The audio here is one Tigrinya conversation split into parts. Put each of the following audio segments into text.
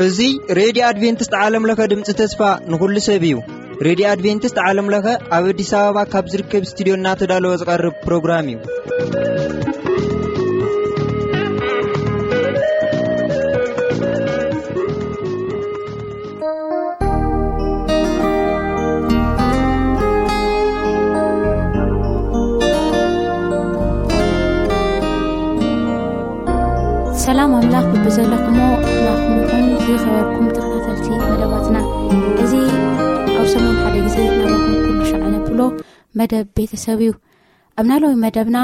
እዚ ሬድዮ ኣድቬንቲስት ዓለም ለኸ ድምፂ ተስፋ ንኹሉ ሰብ እዩ። ሬድዮ ኣድቬንቲስት ዓለም ለኸ ኣብ ኣዲስ ኣበባ ካብ ዝርከብ ስቱዲዮ እናተዳለወ ዝቐርብ ፕሮግራም እዩ። ሰላም ኣምላኽ ብብዘለኹሞ ናኹም ይኹን። ዝኸበርኩም ተኸታተልቲ መደባትና፣ እዚ ኣብ ሰሙን ሓደ ግዜ ናባኹም ኩሉ ሻዕ ነብሎ መደብ ቤተሰብ እዩ። ኣብ ናለዊ መደብና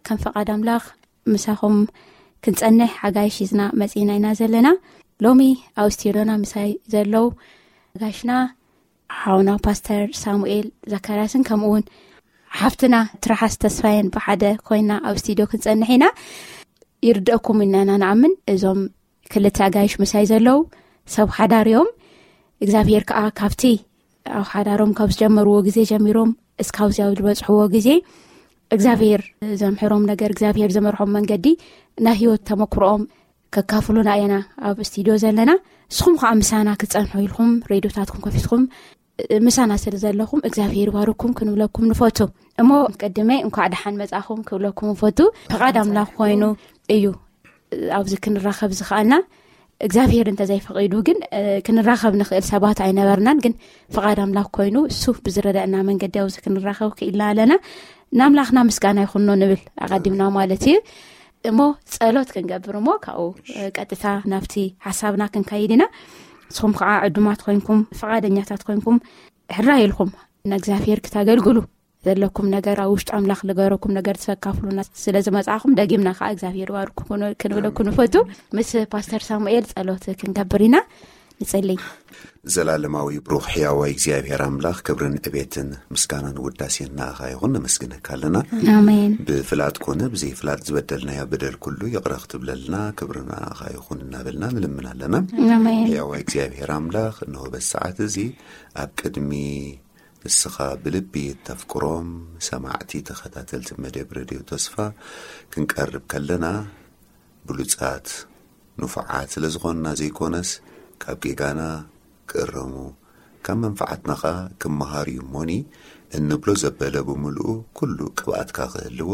ከም ፈቓድ ኣምላኽ ምሳኹም ክንጸንሕ ሓጋይሽ ሒዝና መጺና ኢና ዘለና። ሎሚ ኣብ ስቱዲዮና ምሳይ ዘለዉ ኣጋይሽና ሓውና ፓስተር ሳሙኤል ዘካርያስን ከምኡ እውን ሓፍትና ትርሓስ ተስፋየን ብሓደ ኮይና ኣብ ስቱዲዮ ክንጸንሕ ኢና። ይርደእኩም ኢና ኢና ንኣምን። እዞም ክልተ ኣጋይሽ ምሳይ ዘለዉ ሰብ ሓዳር እዮም። እግዚኣብሔር ከኣ ካብቲ ኣብ ሓዳሮም ካብ ዝጀመርዎ ግዜ ጀሚሮም እስካብዚ ኣብ ዝበጽሕዎ ግዜ እግዚኣብሔር ዘምሕሮም ነገር፣ እግዚኣብሔር ዘመርሖም መንገዲ፣ ናይ ህይወት ተመክሮኦም ከካፍሉና ኢና ኣብ ስቱዲዮ ዘለና። ንስኹም ከኣ ምሳና ክትጸንሑ ኢልኩም ሬድዮታትኩም ከፊትኩም ምሳና ስለ ዘለኹም እግዚኣብሔር ይባርኩም ክንብለኩም ንፈቱ። እሞ ቅድመ እንኳዕ ደሓን መጻኹም ክብለኩም ንፈቱ። ፍቓድ ኣምላኽ ኮይኑ እዩ ኣብዚ ክንራኸብ ዝኸኣልና። እግዚኣብሔር እንተዘይፈቒዱ ግን፣ እ፣ ክንራኸብ ንኽእል ሰባት ኣይነበርናን። ግን ፍቓድ ኣምላኽ ኮይኑ እሱ ብዝረዳእና መንገዲ ኣብዚ ክንራኸብ ክኢልና ኣለና። ንኣምላኽና ምስጋና ይኹኖ ንብል ኣቐዲምና ማለት እዩ። እሞ ጸሎት ክንገብር እሞ ካብኡ፣ እ፣ ቀጥታ ናብቲ ሓሳብና ክንከይድ ኢና። ንስኹም ከዓ ዕዱማት ኮይንኩም፣ ፍቓደኛታት ኮይንኩም፣ ሕራይ ኢልኩም ንእግዚኣብሔር ክተገልግሉ ዘለኩም ነገር፣ ኣብ ውሽጢ ኣምላኽ ልገረኩም ነገር ትፈካፍሉና ስለ ዝመጻኹም፣ ደጊምና ከዓ እግዚኣብሔር ይባርኩም ክን-፣ ክንብለኩም ንፈቱ። ምስ ፓስተር ሳሙኤል ጸሎት ክንገብር ኢና። ንጸልይ። ዘላለማዊ ብሩኽ ሕያዋይ እግዚኣብሔር ኣምላኽ፣ ክብርን ዕቤትን ምስጋናን ውዳሴን ንኣኻ ይኹን፣ ነመስግነካ ኣለና። ኣሜን። ብፍላጥ ኮነ ብዘይፍላጥ ዝበደልናዮ በደል ኩሉ ይቕረ ክትብለልና ክብሪ ንኣኻ ይኹን እናበልና ንልምን ኣለና። ኣሜን። ሕያዋይ እግዚኣብሔር ኣምላኽ፣ እንሆ በዚ ሰዓት እዚ ኣብ ቅድሚ ንስኻ ብልቢ እተፍቅሮም ሰማዕቲ ተኸታተልቲ መደብ ሬድዮ ተስፋ ክንቀርብ ከለና፣ ብሉጻት ንፉዓት ስለ ዝኾንና ዘይኮነስ፣ ካብ ጌጋና ክእረሙ፣ ካብ መንፍዓትና ኸኣ ክመሃሩ እዩ እሞኒ፣ እንብሎ ዘበለ ብምልኡ ኩሉ ቅብኣትካ ክህልዎ፣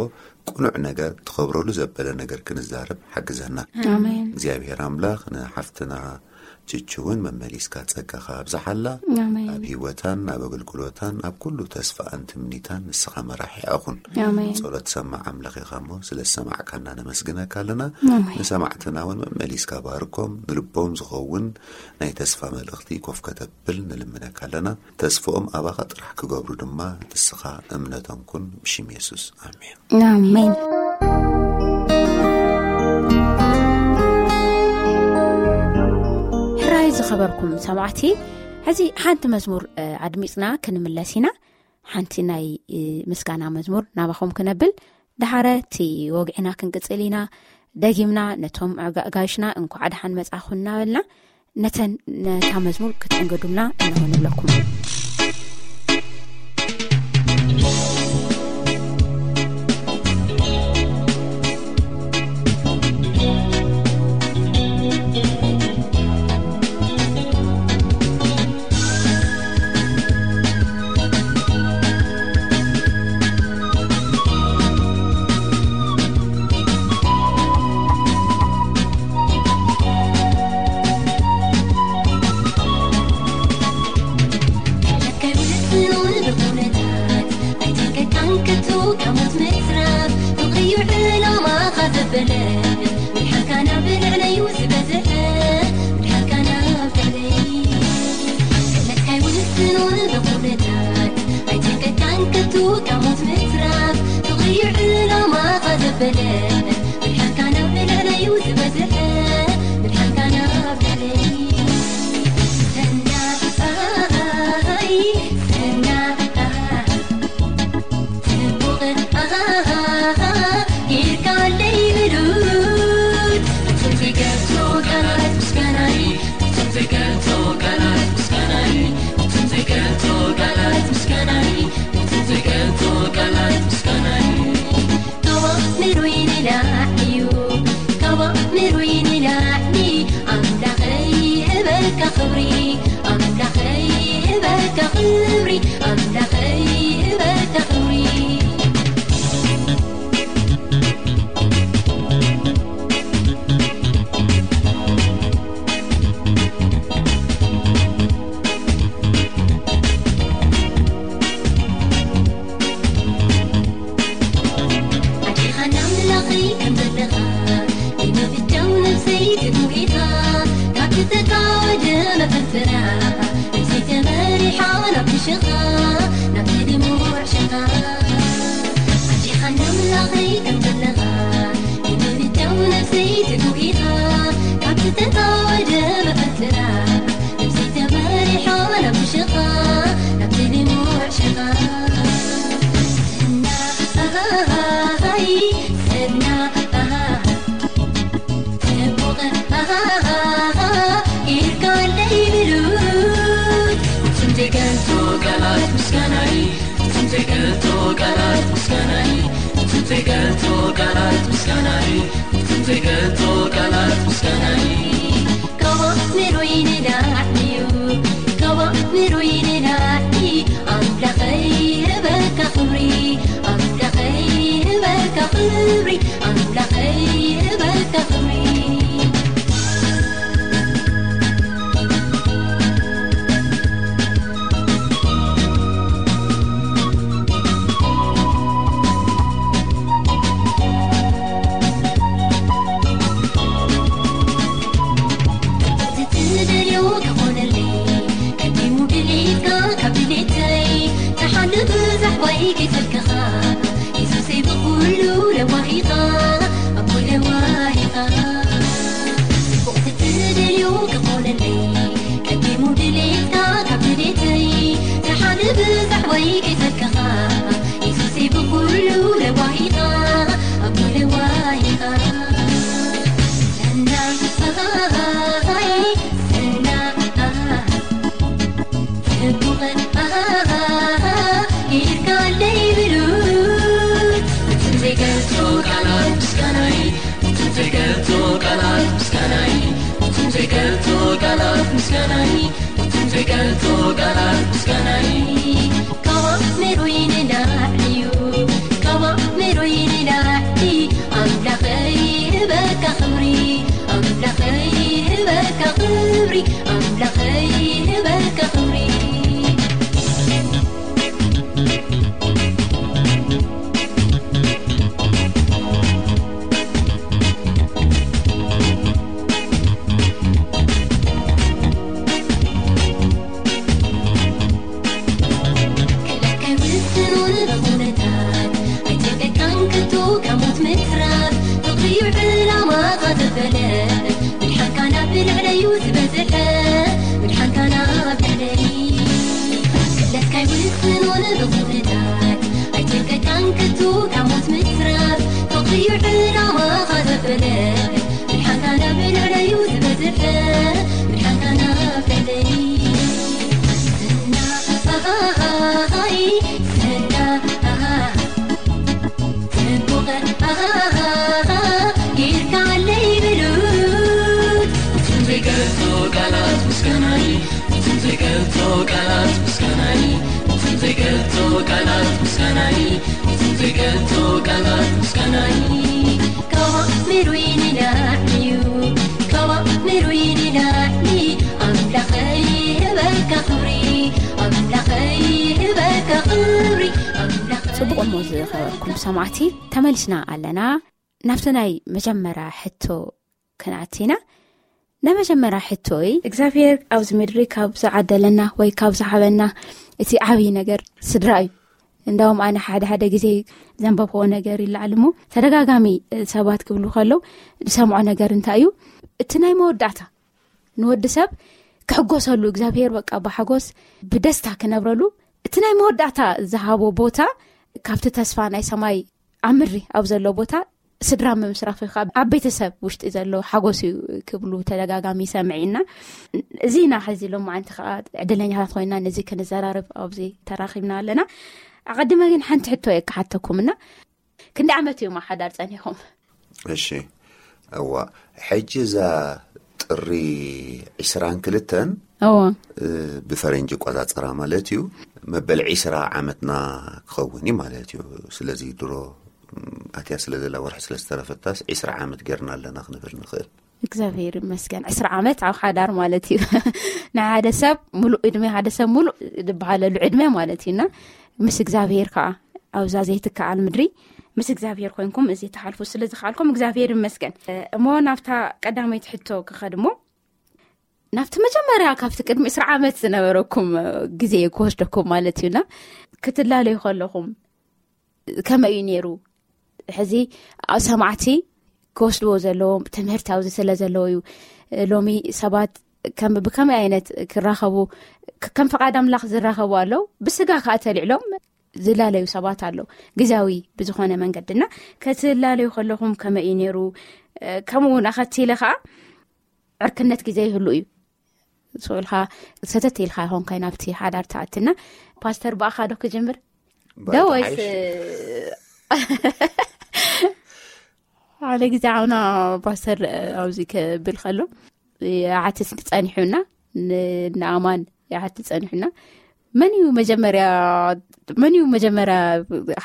ቅኑዕ ነገር ትኸብረሉ ዘበለ ነገር ክንዛረብ ሓግዘና። ኣሜን። እግዚኣብሔር ኣምላኽ ንሓፍትና ችችውን መመሊስካ ጸጋኻ ኣብዝሓላ። ኣሜን። ኣብ ህይወታን ኣብ ኣገልግሎታን ኣብ ኩሉ ተስፋኣን ትምኒታን ንስኻ መራሒ ኣኹን። ኣሜን። ጸሎት ሰማዕ ኣምላኽ ኢኻ እሞ ስለ ዝሰማዕካና ነመስግነካ ኣለና። ኣሜን። ንሰማዕትና እውን መመሊስካ ባርኮም፣ ንልቦም ዝኸውን ናይ ተስፋ መልእኽቲ ኮፍ ከተብል ንልምነካ ኣለና። ተስፍኦም ኣባኻ ጥራሕ ክገብሩ ድማ ንስኻ እምነቶም ኩን፣ ብሽም የሱስ ኣሜን። ኣሜን። ሕራይ ዝኸበርኩም ሰማዕቲ፣ ሕዚ ሓንቲ መዝሙር፣ እ፣ ኣድሚጽና ክንምለስ ኢና። ሓንቲ ናይ፣ እ፣ ምስጋና መዝሙር ናባኹም ክነብል፣ ደሓረ እቲ ወግዕና ክንቅጽል ኢና። ደጊምና ነቶም ኣጋ-፣ ኣጋይሽና እንኳዕ ደሓን መጻኹም እናበልና፣ ነተን፣ ነታ መዝሙር ክትእንገዱልና እንሆ ንብለኩም። ሽኻ ናብቲ ድሙዕ ሽኻ ኣዲኻ ንኣምላኸይ ከም ዘለኻ ንምብጃው ነፍሰይ ትጉህ ኢኻ ካብቲ ተታወደ መፈትራ ነፍሰይ ተመሪሖ ናብ ሽኻ ናብቲ ድሙዕ ሽኻ እና ኣሃሃሃይ እና ኣሃሃ ጽቡቕ ኣሃሃሃ ኢልካ ኣለይ ብሉት እቱም ዘይገልጹ ቃላት ምስጋናይ እቱም ዘይገልጹ ቃላት ምስጋናይ እቱም ዘይገልጹ ቃላት ምስጋናይ እቱም ዘይገልጹ ቃላት ምስጋናይ ካብ ኣእምሮይ ንላዕሊ እዩ ካብ ኣእምሮይ ንላዕሊ ኣምላኸይ ህበካ ክብሪ ኣምላኸይ ህበካ ክብሪ ኣምላኸይ ህበካ ክብሪ ትደልዮ ክኾነለይ ቀዲሙ ድሌትካ ካብ ድሌተይ ተሓልፍ ዛሕባይ ከይሰልክኻ የሱሰይ ብኩሉ ለዋሂኻ ኣቦይ ለዋሂኻ ጽቡቕ ትደልዮ ክኾነለይ ቀዲሙ ድሌትካ ካብ ድሌተይ ተሓልፍ ዛሕባይ ከይሰልክኻ የሱሰይ ብኩሉ ለዋሂኻ ኣቦይ ለዋሂኻ ሰናይ ሰናይ ጽቡቕ ኢልካ ኣለይ ብሉት እቱም ዘይገልጹ ቃላት ምስጋናይ እቱም ዘይገልጹ ቃላት ምስጋናይ እቱም ዘይገልጹ ቃላት ምስጋናይ እቱም ዘይገልጹ ቃላት ምስጋናይ ካብ ኣእምሮይ ንላዕሊ እዩ ካብ ኣእምሮይ ንላዕሊ ኣምላኸይ ህበካ ክብሪ ኣምላኸይ ህበካ ክብሪ ኣምላኸይ ህበካ ክብሪ ክለካይ ውስኑን ብኹነታት ኣይተገካን ከቶ ካብ ሞት ምትራፍ ፍቕሪ እዩ ዕላማኻ ዘበለ ምድሓንካ ናብ ልዕለዩ ዝበዝሐ ምድሓንካ ናብ ልዕለይ ክለካይ ውስኑን ብኹነታት ኣይተገካን ከቶ ካብ ሞት ምትራፍ ፍቕሪ እዩ ዕላማኻ ዘበለ ምድሓንካ ናብ ልዕለዩ ዝበዝሐ ምድሓንካ ናብ ልዕለይ ዝና ኣሃሃሃይ ዝና ኣሃ ጽቡቕ ኣሃሃሃ ጌርካ ኣለይ ብሉት እቱም ዘይገልጹ ቃላት ምስጋናይ እቱም ዘይገልጹ ቃላት ምስጋናይ እቱም ዘይገልጹ ቃላት ምስጋናይ እቱም ዘይገልጹ ቃላት ምስጋናይ ካብ ኣእምሮይ ንላዕሊ እዩ ካብ ኣእምሮይ ንላዕሊ ኣምላኸይ ህበካ ክብሪ ኣምላኸይ ህበካ ክብሪ ኣምላኸይ ጽቡቕ እሞ ዝኸበርኩም ሰማዕቲ ተመሊስና ኣለና ናብቲ ናይ መጀመርያ ሕቶ ክንኣቲና ናይ መጀመርያ ሕቶይ እግዚኣብሔር ኣብዚ ምድሪ ካብ ዝዓደለና ወይ ካብ ዝሃበና እቲ ዓብዪ ነገር ስድራ እዩ እንዳውም ኣነ ሓደ ሓደ ግዜ ዘንበብዎ ነገር ይለዓል እሞ ተደጋጋሚ ሰባት ክብሉ ከለው ዝሰምዖ ነገር እንታይ እዩ እቲ ናይ መወዳእታ ንወዲ ሰብ ክሕጎሰሉ እግዚኣብሔር በቃ ብሓጎስ ብደስታ ክነብረሉ እቲ ናይ መወዳእታ ዝሃቦ ቦታ ካብቲ ተስፋ ናይ ሰማይ ኣብ ምድሪ ኣብ ዘሎ ቦታ ስድራ ምምስራፍ ወይ ከዓ ኣብ ቤተሰብ ውሽጢ ዘሎ ሓጎስ እዩ ክብሉ ተደጋጋሚ ይሰምዕ ኢና። እዚ ኢና ሕዚ ሎማዓንቲ ከዓ ዕድለኛታት ኮይና ነዚ ክንዘራርብ ኣብዚ ተራኺብና ኣለና። ኣቐድመ ግን ሓንቲ ሕቶ እየ ክሓተኩምና ክንዲ ዓመት እዮም ኣብ ሓዳር ፀኒኹም? እሺ እዋ ሕጂ እዛ ጥሪ ዒስራን ክልተን እዋ ብፈረንጂ ቆፃፀራ ማለት እዩ። መበል ዒስራ ዓመትና ክኸውን እዩ ማለት እዩ። ስለዚ ድሮ ኣትያ ስለ ዘላ ወርሒ ስለ ዝተረፈታስ ዒስራ ዓመት ጌርና ኣለና ክንብል ንኽእል። እግዚኣብሔር ይመስገን ዕስራ ዓመት ኣብ ሓዳር ማለት እዩ። ንሓደ ሰብ ሙሉእ ዕድመ ሓደ ሰብ ሙሉእ ዝበሃለሉ ዕድመ ማለት እዩና ምስ እግዚኣብሔር ከዓ ኣብዛ ዘይትከኣል ምድሪ ምስ እግዚኣብሔር ኮይንኩም እዚ ትሓልፉ ስለ ዝኸኣልኩም እግዚኣብሔር ይመስገን። እሞ ናብታ ቀዳመይቲ ሕቶ ክኸድ እሞ ናብቲ መጀመርያ ካብቲ ቅድሚ ዕስራ ዓመት ዝነበረኩም ግዜ ክወስደኩም ማለት እዩና ክትላለዩ ከለኹም ከመይ እዩ ነይሩ? ሕዚ ኣብ ሰማዕቲ ክወስድዎ ዘለዎም ትምህርቲ ኣብዚ ስለ ዘለዎ እዩ። ሎሚ ሰባት ከም ብከመይ ዓይነት ክራኸቡ ከም ፍቓድ ኣምላኽ ዝራኸቡ ኣለዉ፣ ብስጋ ከዓ ተልዕሎም ዝላለዩ ሰባት ኣለዉ። ግዜያዊ ብዝኾነ መንገድና ክትላለዩ ከለኹም ከመይ እዩ ነይሩ? ከምኡ እውን ኣኸቲለ ከዓ ዕርክነት ግዜ ይህሉ እዩ። ስልካ ሰተት ኢልካ ይኾንካይ ናብቲ ሓዳር ተኣትና። ፓስተር ብኣኻ ዶ ክጅምር ዶ ወይስ ሓደ ግዜ ዓውና ፓስተር ኣብዚ ክብል ከሎ ይሓትት ጸኒሑና፣ ንኣማን ይሓትት ጸኒሑና። መን እዩ መጀመርያ መን እዩ መጀመርያ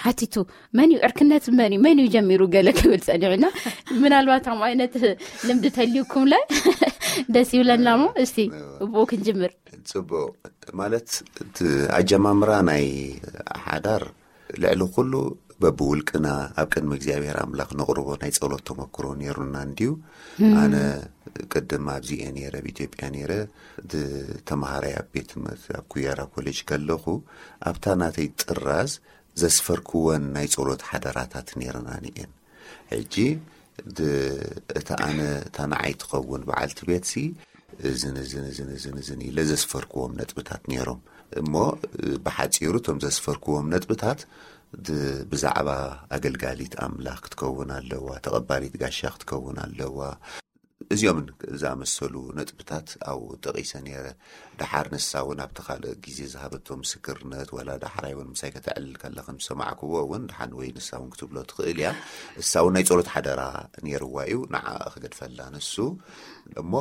ሓቲቱ፣ መን እዩ ዕርክነት፣ መን እዩ መን እዩ ጀሚሩ ገለ ክብል ጸኒሑና። ምናልባት ከም ዓይነት ልምዲ ተልዩኩም ለ ደስ ይብለና። ሞ እስቲ ብኡ ክንጅምር። ጽቡቅ። ማለት እቲ ኣጀማምራ ናይ ሓዳር ልዕሊ ኩሉ በብውልቅና ኣብ ቅድሚ እግዚኣብሔር ኣምላኽ ነቕርቦ ናይ ጸሎት ተመክሮ ነይሩና እንድዩ። ኣነ ቅድም ኣብዚኤ ነይረ፣ ኣብ ኢትዮጵያ ነይረ፣ ተመሃራይ ኣብ ቤት ትምህርቲ ኣብ ኩያራ ኮሌጅ ከለኹ፣ ኣብታ ናተይ ጥራዝ ዘስፈርክወን ናይ ጸሎት ሓደራታት ነይረናኒ እየን። ሕጂ እታ ኣነ እታ ንዓይ ትኸውን በዓልቲ ቤትሲ እዝን እዝን እዝን እዝን እዝን ኢለ ዘስፈርክዎም ነጥብታት ነይሮም። እሞ ብሓጺሩ እቶም ዘስፈርክዎም ነጥብታት ብዛዕባ ኣገልጋሊት ኣምላኽ ክትከውን ኣለዋ፣ ተቐባሊት ጋሻ ክትከውን ኣለዋ። እዚኦምን ዝኣመሰሉ ነጥብታት ኣብኡ ጠቒሰ ነይረ። ደሓር ንሳ እውን ኣብቲ ካልእ ግዜ ዝሃበቶ ምስክርነት፣ ዋላ ዳሕራይ እውን ምሳይ ከተዕልል ከላ ከም ዝሰማዕክዎ እውን ደሓን ወይ ንሳ እውን ክትብሎ ትኽእል እያ። እሳ እውን ናይ ጸሎት ሓደራ ነይርዋ እዩ፣ ንዓ ክገድፈላ ንሱ። እሞ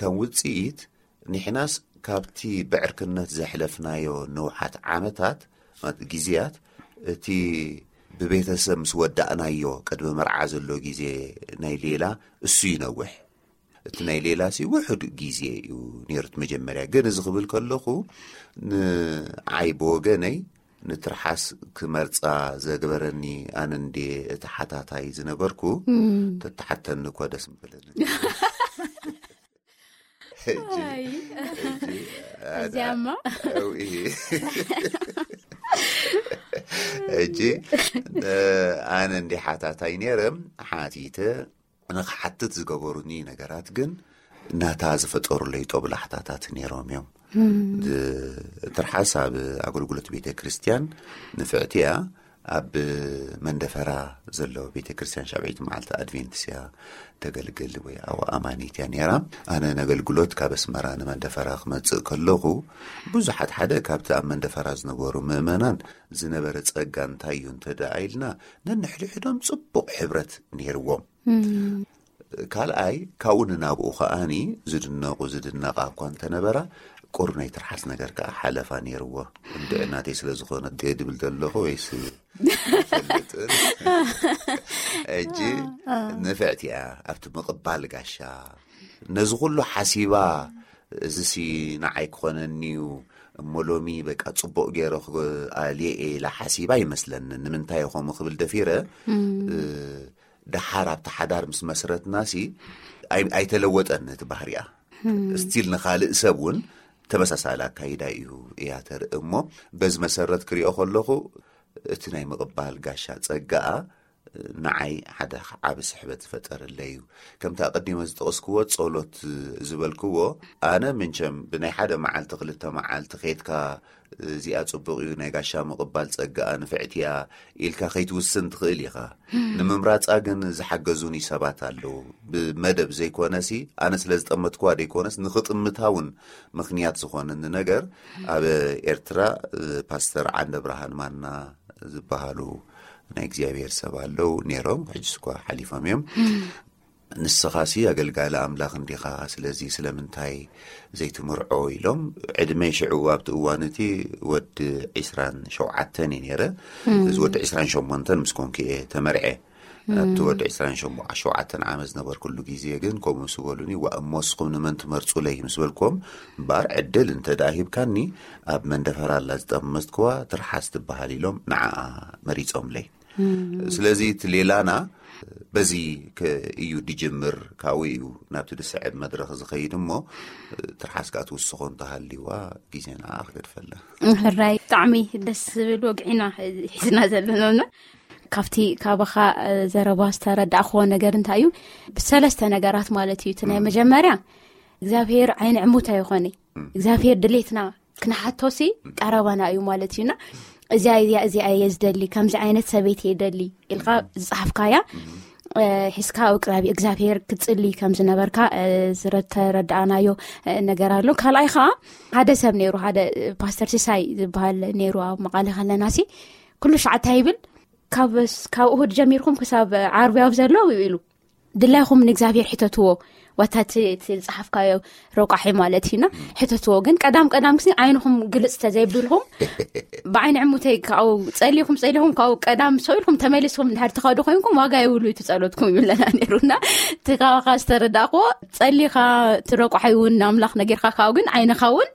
ከም ውጽኢት ንሕናስ ካብቲ ብዕርክነት ዘሕለፍናዮ ንውሓት ዓመታት፣ ማለት ግዜያት፣ እቲ ብቤተሰብ ምስ ወዳእናዮ ቅድሚ መርዓ ዘሎ ግዜ ናይ ሌላ እሱ ይነውሕ። እቲ ናይ ሌላ ሲ ውሑድ ግዜ እዩ ነይሩ እቲ መጀመርያ። ግን እዚ ክብል ከለኹ ንዓይ ብወገነይ ንትርሓስ ክመርጻ ዘግበረኒ ኣነ እንዴ እቲ ሓታታይ ዝነበርኩ፣ ተተሓተኒ እኮ ደስ ምበለኒ። ሕጂ፣ ኣይ። ሕጂ፣ ኣዚኣማ? ሕጂ ኣነ እንዲ ሓታታይ ነይረ፣ ሓቲተ ንኽሓትት ዝገበሩኒ ነገራት ግን ናታ ዝፈጠሩለይ ጦብላሕታታት ነይሮም እዮም። ትርሓስ ኣብ ኣገልግሎት ቤተ ክርስቲያን ንፍዕቲ እያ። ኣብ መንደፈራ ዘሎ ቤተ ክርስቲያን ሻብዒት መዓልቲ ኣድቬንትስ እያ ተገልግል ወይ ኣብ ኣማኒት እያ ነይራ። ኣነ ነገልግሎት ካብ ኣስመራ ንመንደፈራ ክመጽእ ከለኹ ብዙሓት ሓደ ካብቲ ኣብ መንደፈራ ዝነበሩ ምእመናን ዝነበረ ጸጋ እንታይ እዩ እንተ ደኣ ኢልና ነንሕድሕዶም ጽቡቕ ሕብረት ነይርዎም። ካልኣይ ካብኡ ንናብኡ ከኣኒ ዝድነቑ ዝድነቓ እኳ እንተነበራ ቁር ናይ ትርሓስ ነገር ከኣ ሓለፋ ነይርዎ። እንድዒ ናተይ ስለ ዝኾነ ድብል ዘለኹ ወይስ ኣይፈልጥን። ሕጂ ንፍዕቲ እያ ኣብቲ ምቕባል ጋሻ ነዚ ኩሉ ሓሲባ፣ እዚ ሲ ንዓይ ክኾነኒ እዩ እሞ ሎሚ በቃ ጽቡቕ ገይረ ክኣልየ እየ ኢላ ሓሲባ ይመስለኒ። ንምንታይ ከምኡ ክብል ደፊረ ደሓር ኣብቲ ሓዳር ምስ መስረትና ሲ ኣይተለወጠን እቲ ባህሪኣ። ስቲል ንኻልእ ሰብ እውን ተመሳሳሊ ኣካይዳ እዩ እያ ተርኢ እሞ በዚ መሰረት ክሪኦ ከለኹ እቲ ናይ ምቕባል ጋሻ ጸጋኣ ንዓይ ሓደ ዓቢ ስሕበት ዝፈጠረለይ እዩ። ከምቲ ኣቐዲመ ዝጠቐስክዎ ጸሎት ዝበልክዎ ኣነ ምንቸም ብናይ ሓደ መዓልቲ ክልተ መዓልቲ ኬድካ እዚኣ ጽቡቕ እዩ ናይ ጋሻ ምቕባል ጸጋኣ ንፍዕቲ እያ ኢልካ ከይትውስን ትኽእል ኢኻ። ንምምራጻ ግን ዝሓገዙኒ ሰባት ኣለዉ። ብመደብ ዘይኮነሲ ኣነ ስለ ዝጠመትክዋ ዘይኮነስ ንኽጥምታ እውን ምኽንያት ዝኾነኒ ነገር ኣብ ኤርትራ ፓስተር ዓንደ ብርሃን ማና ዝበሃሉ ናይ እግዚኣብሔር ሰብ ኣለዉ ነይሮም። ሕጂ እኳ ሓሊፎም እዮም። ንስኻሲ ኣገልጋሊ ኣምላኽ እንዲኻ፣ ስለዚ ስለምንታይ ዘይትምርዖ ኢሎም። ዕድመይ ሽዑ ኣብቲ እዋን እቲ ወዲ ዒስራን ሸውዓተን እዩ ነይረ። እዚ ወዲ ዒስራን ሸሞንተን ምስ ኮንኩ እየ ተመርዐ። ኣብቲ ወዲ ዒስራን ሸውዓተን ዓመት ዝነበርኩሉ ግዜ ግን ከምኡ ምስ በሉኒ፣ ዋ እሞ ንስኹም ንመን ትመርጹለይ ምስ በልኩም፣ እምበኣር ዕድል እንተ ደኣ ሂብካኒ ኣብ መንደፈራ ኣላ ዝጠመትክዋ ትርሓስ ትበሃል ኢሎም ንዓኣ መሪጾምለይ። ስለዚ እቲ ሌላና በዚ እዩ ድጅምር፣ ካብኡ እዩ ናብቲ ድስዕብ መድረኽ ዝኸይድ። እሞ ትርሓስ ከኣ ትውስኾ እንተሃልዋ ግዜ ንዓ ክገድፈላ። ሕራይ፣ ብጣዕሚ ደስ ዝብል ወግዒና ሒዝና ዘለናና። ካብቲ ካባኻ ዘረባ ዝተረዳእክዎ ነገር እንታይ እዩ? ብሰለስተ ነገራት ማለት እዩ። እቲ ናይ መጀመርያ እግዚኣብሔር ዓይኒ ዕሙት ኣይኾነ። እግዚኣብሔር ድሌትና ክንሓቶሲ ቀረባና እዩ ማለት እዩና። እዚኣ እዚኣ እዚኣ እየ ዝደሊ፣ ከምዚ ዓይነት ሰበይቲ እየ ደሊ ኢልካ ዝጸሓፍካያ ሒዝካ ኣብ ቅራቢ እግዚኣብሔር ክትጽሊ ከም ዝነበርካ ዝተረዳእናዮ ነገር ኣሎ። ካልኣይ ከዓ ሓደ ሰብ ነይሩ፣ ሓደ ፓስተር ሲሳይ ዝበሃል ነይሩ። ኣብ መቓለ ከለናሲ ኩሉ ሸዓታ ይብል፣ ካብ ካብ እሁድ ጀሚርኩም ክሳብ ዓርቢ ኣብ ዘሎ ኢሉ ድላይኹም ንእግዚኣብሔር ሕተትዎ። ዋታ እቲ ዝጸሓፍካዮ ረቋሒ ማለት እዩና ሕተትዎ። ግን ቀዳም ቀዳም ክሲ ዓይንኹም ግልጽ ተዘይብልኩም ብዓይኒ ዕሙተይ ካብኡ ጸሊኹም ጸሊኹም ካብኡ ቀዳም ሰው ኢልኩም ተመሊስኩም እንድሕር ትኸዱ ኮይንኩም ዋጋ የብሉ እቲ ጸሎትኩም ይብለና ነይሩና። እቲ ካባኻ ዝተረዳእክዎ ጸሊኻ እቲ ረቋሒ እውን ንኣምላኽ ነጊርካ ካብኡ ግን ዓይንኻ እውን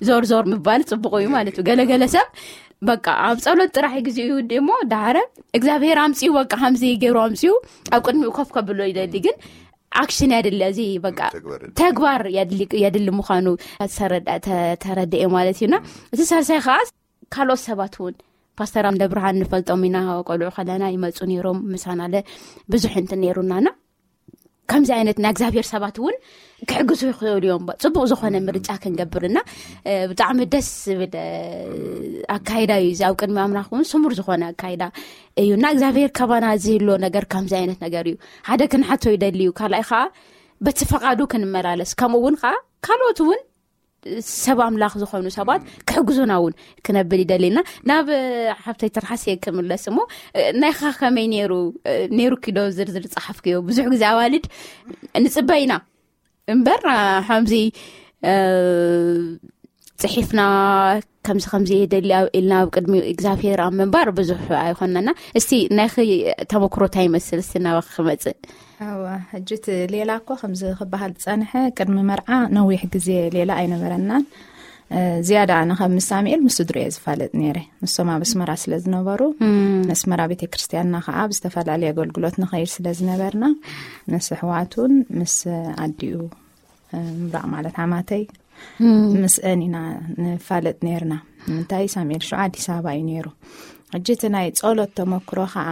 ዞር ዞር ምባል ጽቡቕ እዩ ማለት እዩ። ገለገለ ሰብ በቃ ኣብ ጸሎት ጥራሕ ግዜ እዩ እሞ ዳሕረ እግዚኣብሔር ኣምጺኡ በቃ ከምዚ ገይሩ ኣምጺኡ ኣብ ቅድሚኡ ኮፍ ከብሎ ይደሊ። ግን ኣክሽን የድሊ፣ እዚ በቃ ተግባር የድሊ ምዃኑ ተረድኤ ማለት እዩና። እቲ ሳልሳይ ከዓ ካልኦት ሰባት እውን ፓስተር ኣምደ ብርሃን ንፈልጦም ኢና፣ ቆልዑ ከለና ይመፁ ነይሮም ምሳና ለ ብዙሕ እንትን ነይሩናና። ከምዚ ዓይነት ናይ እግዚኣብሔር ሰባት እውን ክሕግዙ ይኽእሉ እዮም። ጽቡቕ ዝኾነ ምርጫ ክንገብርና ብጣዕሚ ደስ ዝብል ኣካይዳ እዩ። እዚ ኣብ ቅድሚ ኣምላኽ እውን ስሙር ዝኾነ ኣካይዳ እዩ እና እግዚኣብሔር ካባና ዝህሎ ነገር ከምዚ ዓይነት ነገር እዩ። ሓደ ክንሓቶ ይደሊ እዩ። ካልኣይ ከዓ በቲ ፈቓዱ ክንመላለስ፣ ከምኡ እውን ከዓ ካልኦት እውን ሰብ ኣምላኽ ዝኾኑ ሰባት ክሕግዙና እውን ክነብል ይደሊ እና ናብ ሓብተይ ትርሓስ እየ ክምለስ እሞ ናይኻ ከመይ ነይሩ? ነይሩ ኪዶ ዝርዝር ጸሓፍክዮ? ብዙሕ ግዜ ኣዋልድ ንጽበ ኢና እምበር ከምዚ ጽሒፍና ከምዚ ከምዚ የደሊ ኢልና ኣብ ቅድሚ እግዚኣብሔር ኣብ ምንባር ብዙሕ ኣይኮነና። እስቲ ናይኺ ተመክሮ እንታይ ይመስል? እስቲ ናባኺ ክመጽእ። እዋ፣ ሕጂ እቲ ሌላ እኮ ከምዚ ክበሃል ዝጸንሐ ቅድሚ መርዓ ነዊሕ ግዜ ሌላ ኣይነበረናን። ዝያዳ ኣነ ካብ ምስ ሳሙኤል ምስ ስድሩ እየ ዝፋለጥ ነይረ። ንሶም ኣብ ኣስመራ ስለ ዝነበሩ ኣስመራ ቤተ ክርስቲያንና ከዓ ብዝተፈላለየ ኣገልግሎት ንኸይድ ስለ ዝነበርና ምስ ኣሕዋቱን ምስ ኣዲኡ ምራቕ ማለት ሓማተይ ምስአን ኢና ንፋለጥ ነርና። ንምንታይ ሳሙኤል ሽዑ ኣዲስ ኣበባ እዩ ነይሩ። ሕጂ እቲ ናይ ጸሎት ተመክሮ ከዓ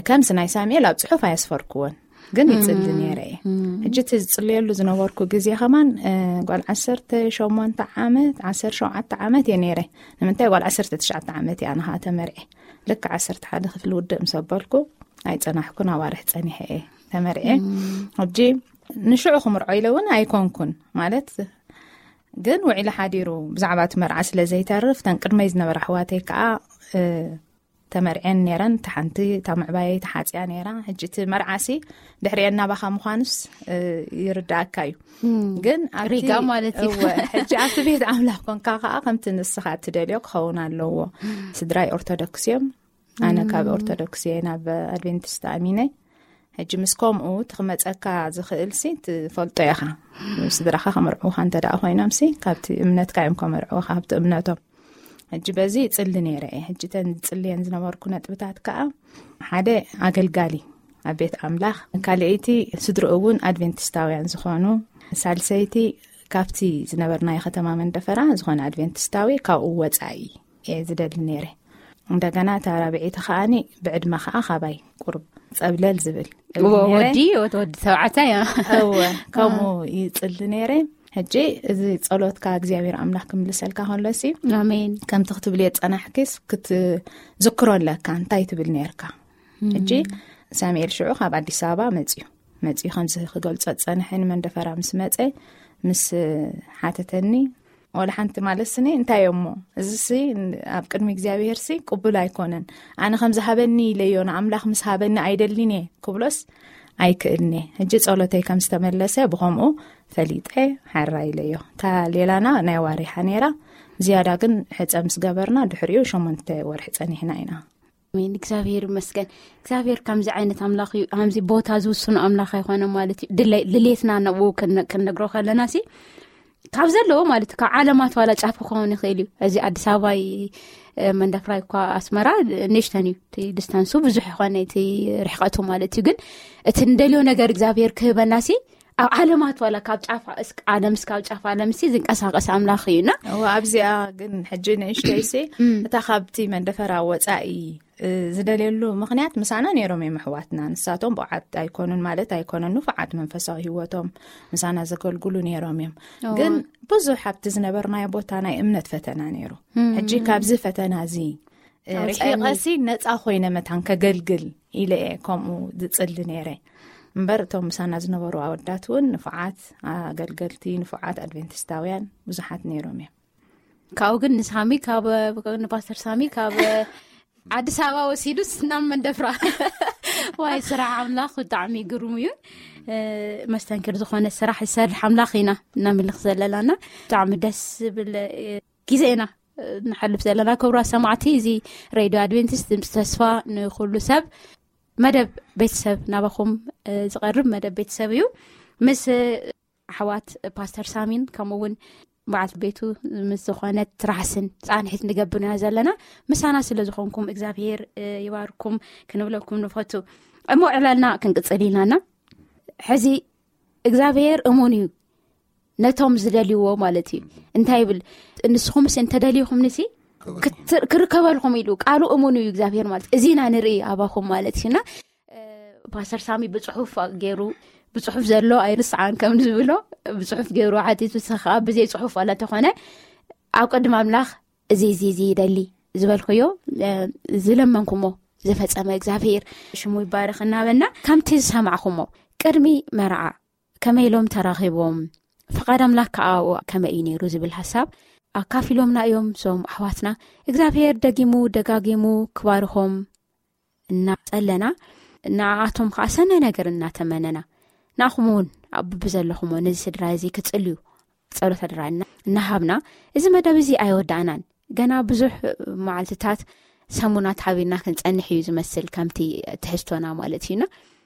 ከምዚ ናይ ሳሙኤል ኣብ ጽሑፍ ኣየስፈርክዎን ግን ይጽሊ ነይረ እየ። ሕጂ እቲ ዝጽልየሉ ዝነበርኩ ግዜ ከማን ጓል ዓሰርተ ሸሞንተ ዓመት ዓሰርተ ሸውዓተ ዓመት እየ ነይረ። ንምንታይ ጓል ዓሰርተ ትሽዓተ ዓመት እያ ንኻ ተመርዐ ልክ ዓሰርተ ሓደ ክፍሊ ውድእ ምስ ኣበልኩ ኣይጸናሕኩን ኣዋርሕ ጸኒሐ እየ ተመርዐ። ሕጂ ንሽዑ ክምርዖ ኢለ እውን ኣይኮንኩን ማለት ግን ውዒለ ሓዲሩ ብዛዕባ እቲ መርዓ ስለ ዘይተርፍ ተን ቅድመይ ዝነበራ ኣሕዋተይ ከዓ ተመርዐን ነይረን። እታ ሓንቲ እታ ምዕባየይ ተሓፅያ ነይራ። ሕጂ እቲ መርዓሲ ድሕሪአን ናባኻ ምዃኑስ ይርዳእካ እዩ። ግን ኣብቲ ሪጋ ማለት እዩ። እወ፣ ሕጂ ኣብቲ ቤት ኣምላኽ ኮንካ ከዓ ከምቲ ንስኻ እትደልዮ ክኸውን ኣለዎ። ስድራይ ኦርቶዶክስ እዮም። ኣነ ካብ ኦርቶዶክስ እየ ናብ ኣድቬንቲስት ኣሚነ። ሕጂ ምስ ከምኡ እቲ ክመፀካ ዝኽእል ሲ ትፈልጦ ኢኻ። ስድራኻ ከመርዕውኻ እንተ ደኣ ኮይኖም ሲ ካብቲ እምነትካ እዮም ከመርዕውኻ ካብቲ እምነቶም። ሕጂ በዚ ይጽሊ ነይረ እየ። ሕጂ ተን ዝጽልየን ዝነበርኩ ነጥብታት ከኣ ሓደ ኣገልጋሊ ኣብ ቤት ኣምላኽ፣ ካልኣይቲ ስድርኡ እውን ኣድቬንቲስታውያን ዝኾኑ፣ ሳልሰይቲ ካብቲ ዝነበርናዮ ከተማ መንደፈራ ዝኾነ ኣድቬንቲስታዊ ካብኡ ወጻኢ እየ ዝደሊ ነይረ። እንደገና እታ ራብዐይቲ ከኣኒ ብዕድመ ከኣ ካባይ ቁሩብ ጸብለል ዝብል እብሊ ነይረ። ወዲ ወዲ ተባዕታይ እያ። እወ፣ ከምኡ ይጽሊ ነይረ። ሕጂ እዚ ጸሎትካ እግዚኣብሔር ኣምላኽ ክምልሰልካ ከሎ ሲ ኣሜን። ከምቲ ክትብልዮ ጸናሕኪስ ክትዝክሮ ኣለካ። እንታይ ትብል ነይርካ? ሕጂ ሳሙኤል ሽዑ ካብ ኣዲስ ኣበባ መጽዩ መጽዩ ከምዚ ክገልጾ ጸንሐ ንመንደፈራ ምስ መጸ ምስ ሓተተኒ፣ ወላ ሓንቲ ማለት ስኒ እንታይ እሞ እዚ ሲ ኣብ ቅድሚ እግዚኣብሔር ሲ ቅቡል ኣይኮነን። ኣነ ከም ዝሃበኒ ኢለዮ ንኣምላኽ ምስ ሃበኒ ኣይደልን እየ ክብሎስ ኣይክእልን እየ። ሕጂ ጸሎተይ ከም ዝተመለሰ ብኸምኡ ፈሊጠ ሓራ ኢለዮ። እታ ሌላና ናይ ዋሪሓ ነይራ። ዝያዳ ግን ሕጸ ምስ ገበርና ድሕሪኡ ሸሞንተ ወርሒ ጸኒሕና ኢና። ኣሜን። እግዚኣብሔር ይመስገን። እግዚኣብሔር ከምዚ ዓይነት ኣምላኽ እዩ። ከምዚ ቦታ ዝውስኑ ኣምላኽ ኣይኮነ ማለት እዩ። ድለ- ድሌትና ንኡ ክነ- ክንነግሮ ከለና ሲ ካብ ዘለዎ ማለት ካብ ዓለማት ዋላ ጫፍ ክኸውን ይኽእል እዩ። እዚ ኣዲስ ኣበባ ይ- መንደፍራ እኳ ኣስመራ ንእሽተን እዩ፣ እቲ ዲስታንሱ ብዙሕ ይኾነ፣ እቲ ርሕቀቱ ማለት እዩ። ግን እቲ እንደልዮ ነገር እግዚኣብሔር ክህበናሲ ኣብ ዓለማት ዋላ ካብ ጫፋ እስክ ዓለምስ ካብ ጫፍ ዓለምሲ ዝንቀሳቀስ ኣምላኽ እዩና። ኣብዚኣ ግን ሕጂ ንእሽተይሲ እታ ካብቲ መንደፈራ ወፃኢ ዝደልየሉ ምኽንያት ምሳና ነይሮም እዮም ኣሕዋትና። ንሳቶም ብዓት ኣይኮኑን ማለት ኣይኮነን፣ ንፉዓት መንፈሳዊ ህይወቶም ምሳና ዘገልግሉ ነይሮም እዮም። ግን ብዙሕ ኣብቲ ዝነበርናዮ ቦታ ናይ እምነት ፈተና ነይሩ። ሕጂ ካብዚ ፈተና እዚ ርሒቐሲ ነፃ ኮይነ መታን ከገልግል ኢለ እየ ከምኡ ዝፅሊ ነይረ። እምበር እቶም ምሳና ዝነበሩ ኣወዳት እውን ንፉዓት ኣገልገልቲ፣ ንፉዓት ኣድቬንቲስታውያን ብዙሓት ነይሮም እዮም። ካብኡ ግን ንሳሚ ካብ ንፓስተር ሳሚ ካብ ኣዲስ ኣበባ ወሲዱ ናብ መንደፍራ። ዋይ፣ ስራሕ ኣምላኽ ብጣዕሚ ግሩም እዩ። መስተንክር ዝኾነ ስራሕ ዝሰርሕ ኣምላኽ ኢና እናምልኽ ዘለናና። ብጣዕሚ ደስ ዝብል ግዜ ኢና ንሓልፍ ዘለና። ክቡራት ሰማዕቲ፣ እዚ ሬድዮ ኣድቬንቲስት ድምፂ ተስፋ ንኩሉ ሰብ መደብ ቤተሰብ ናባኹም ዝቐርብ መደብ ቤተሰብ እዩ። ምስ ኣሕዋት ፓስተር ሳሚን ከምኡ እውን በዓልቲ ቤቱ ምስ ዝኾነት ትራሕስን ፃንሒት ንገብር ኢና ዘለና። ምሳና ስለ ዝኾንኩም እግዚኣብሔር ይባርኩም ክንብለኩም ንፈቱ። እሞ ዕላልና ክንቅፅል ኢልናና። ሕዚ እግዚኣብሔር እሙን እዩ ነቶም ዝደልይዎ ማለት እዩ። እንታይ ይብል? ንስኹምስ እንተደልይኹም ንሲ ክትር- ክርከበልኩም ኢሉ ቃሉ እሙን እዩ እግዚኣብሔር ማለት እዚ ኢና ንርኢ ኣባኹም ማለት እዩና። ፓስተር ሳሚ ብፅሑፍ ገይሩ፣ ብፅሑፍ ዘሎ ኣይርስዓን ከም ዝብሎ፣ ብፅሑፍ ገይሩ ሓቲቱ፣ ንስኻ ብዘይ ፅሑፍ ዋላ ተኾነ ኣብ ቅድሚ ኣምላኽ እዚ እዚ እዚ ይደሊ ዝበልኩዮ ዝለመንኩሞ ዝፈፀመ እግዚኣብሔር ሽሙ ይባረኽ እናበልና፣ ከምቲ ዝሰማዕኩሞ ቅድሚ መርዓ ከመይ ኢሎም ተራኺቦም፣ ፍቓድ ኣምላኽ ከዓ ኣብኡ ከመይ እዩ ነይሩ ዝብል ሓሳብ ኣካፊሎምና እዮም እዞም ኣሕዋትና። እግዚኣብሔር ደጊሙ ደጋጊሙ ክባርኾም እናጸለና፣ ንዓኣቶም ከዓ ሰናይ ነገር እናተመነና፣ ንኣኹም እውን ኣብ ብዘለኹሞ ነዚ ስድራ እዚ ክጽልዩ ጸሎት ኣደራና እናሃብና፣ እዚ መደብ እዚ ኣይወዳእናን። ገና ብዙሕ መዓልትታት፣ ሰሙናት ሓቢርና ክንጸንሕ እዩ ዝመስል፣ ከምቲ ትሕዝቶና ማለት እዩና።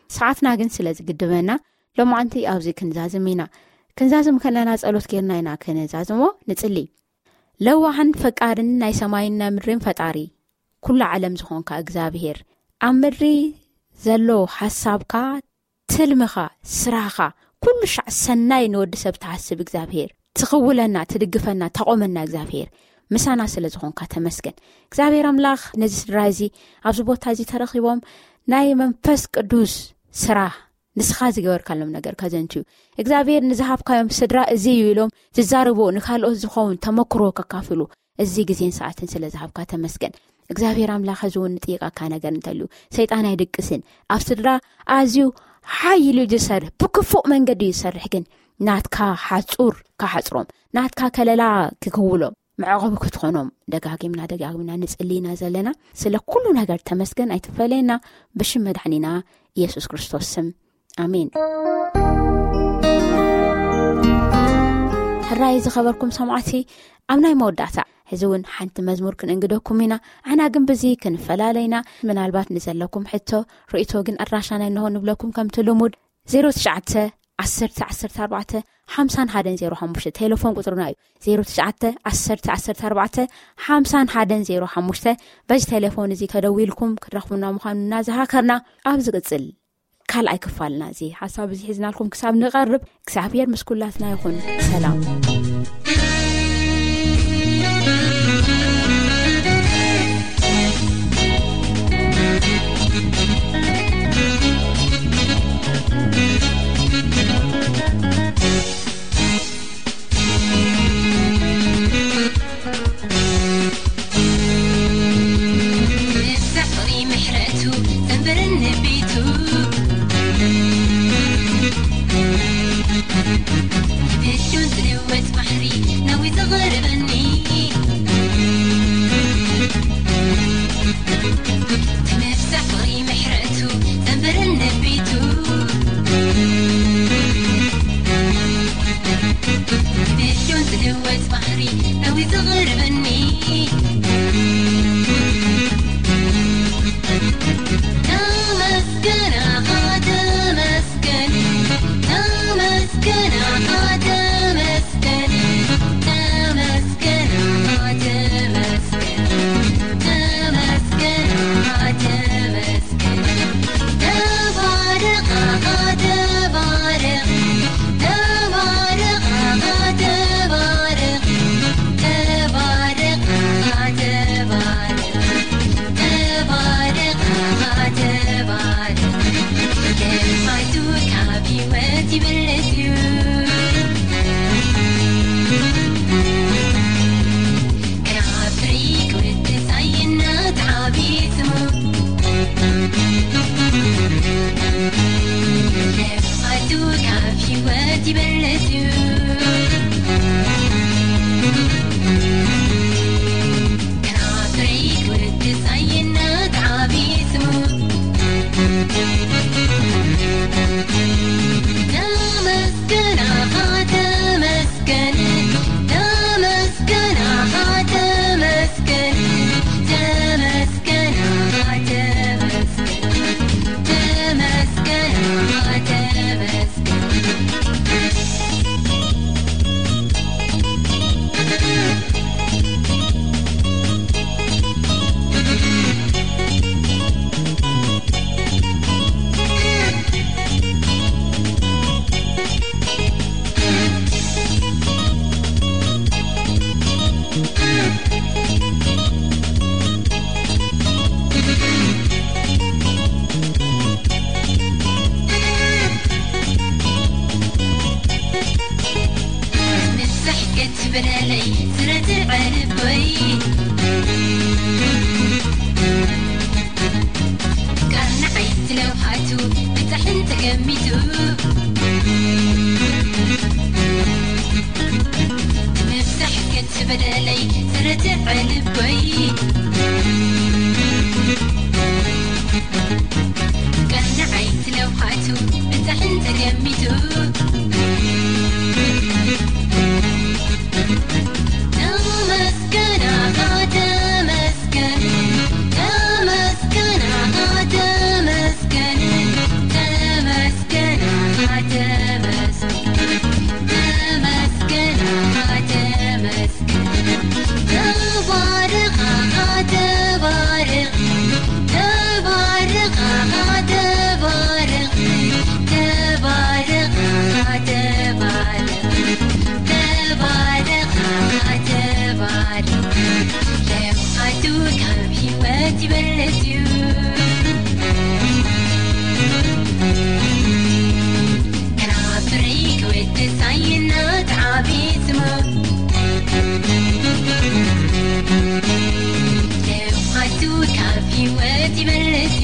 ሰዓትና ግን ስለ ዝግድበና፣ ሎማዓንቲ ኣብዚ ክንዛዝም ኢና። ክንዛዝም ከለና ጸሎት ጌርና ኢና ክንዛዝሞ። ንጽሊ። ለዋህን ፈቃርን ናይ ሰማይን ናይ ምድርን ፈጣሪ ኩሉ ዓለም ዝኾንካ እግዚኣብሔር፣ ኣብ ምድሪ ዘሎ ሓሳብካ፣ ትልምኻ፣ ስራሕኻ፣ ኩሉ ሻዕ ሰናይ ንወዲ ሰብ ትሓስብ እግዚኣብሔር፣ ትኽውለና፣ ትድግፈና፣ ተቆመና እግዚኣብሔር፣ ምሳና ስለ ዝኾንካ ተመስገን። እግዚኣብሔር ኣምላኽ፣ ነዚ ስድራ እዚ ኣብዚ ቦታ እዚ ተረኺቦም ናይ መንፈስ ቅዱስ ስራሕ ንስኻ ዝገበርካሎም ነገር ከዘንትዩ፣ እግዚኣብሔር ንዝሃብካዮም ስድራ እዚ እዩ ኢሎም ዝዛረቡ፣ ንካልኦት ዝኸውን ተመክሮ ከካፍሉ፣ እዚ ግዜን ሰዓትን ስለ ዝሃብካ ተመስገን። እግዚኣብሔር ኣምላኽ፣ እዚ እውን ንጥይቃካ ነገር እንተልዩ፣ ሰይጣን ኣይድቅስን። ኣብ ስድራ ኣዝዩ ሓይ ኢሉ እዩ ዝሰርሕ፣ ብክፉእ መንገዲ እዩ ዝሰርሕ። ግን ናትካ ሓጹር ክሓጽሮም፣ ናትካ ከለላ ክክውሎም፣ መዕቆቢ ክትኾኖም ደጋጊምና ደጋጊምና ንጽሊ ኢና ዘለና። ስለ ኩሉ ነገር ተመስገን፣ ኣይትፈለየና። ብሽም መድሓኒና ኢየሱስ ክርስቶስ ስም፣ ኣሜን። ሕራይ ዝኸበርኩም ሰማዕቲ፣ ኣብ ናይ መወዳእታ ሕዚ እውን ሓንቲ መዝሙር ክንእንግደኩም ኢና። ኣሕና ግን ብዚ ክንፈላለ ኢና። ምናልባት ንዘለኩም ሕቶ፣ ርእይቶ ግን ኣድራሻና እንሆ ንብለኩም። ከምቲ ልሙድ፣ ዜሮ ትሽዓተ ዓሰርተ ዓሰርተ ኣርባዕተ ሓምሳን ሓደን ዜሮ ሓሙሽተ ቴሌፎን ቁጽርና እዩ። ዜሮ ትሽዓተ ዓሰርተ ዓሰርተ ኣርባዕተ ሓምሳን ሓደን ዜሮ ሓሙሽተ። በዚ ቴሌፎን እዚ ተደዊልኩም ክትረኽቡና ምዃኑ እናዘኻኸርና፣ ኣብ ዝቕጽል ካልኣይ ክፋልና እዚ ሓሳብ እዚ ሒዝናልኩም ክሳብ ንቐርብ፣ እግዚኣብሔር ምስ ኩላትና ይኹን። ሰላም። ይበልጽ እዩ። ክራፍሪክ ወዲ ሳይናት ዓቢ ስሙ። ልምዓቱ ካብ ህይወት ይበልጽ እዩ። ክራፍሪክ ወዲ ሳይናት ዓቢ ስሙ። ተመስገን ኣኻ ተመስገን፣ ተመስገን ኣኻ ተመስገን፣ ተመስገን ኣኻ ተመስገን፣ ተመስገን ኣኻ ተመስገን። ምሳሕ ክትብለለይ ስረትዕ ልበይ። ቃል ንዓይ ስለውሃቱ ብጻሕን ተገሚቱ። ምሳሕ ክትብለለይ ስረትዕ ልበይ። ቃል ንዓይ ስለውሃቱ ብጻሕን ተገሚቱ። ተመስገን ኣኻ ተመስገን፣ ተመስገን ኣኻ ተመስገን፣ ተመስገን ኣኻ ተመስገን፣ ተመስገን ኣኻ ተመስገን። ተባረኽ ኣኻ ተባረኽ፣ ተባረኽ ኣኻ ተባረኽ፣ ተባረኽ ኣኻ ተባረኽ። ተባረኽ ኣኻ ተባረኽ፣ ልምዓቱ ካብ ህይወት ይበልጽ እዩ። ክራፍሪክ ወዲ ሳይናት ዓቢ ስሙ። ልምዓቱ ካብ ህይወት ይበልጽ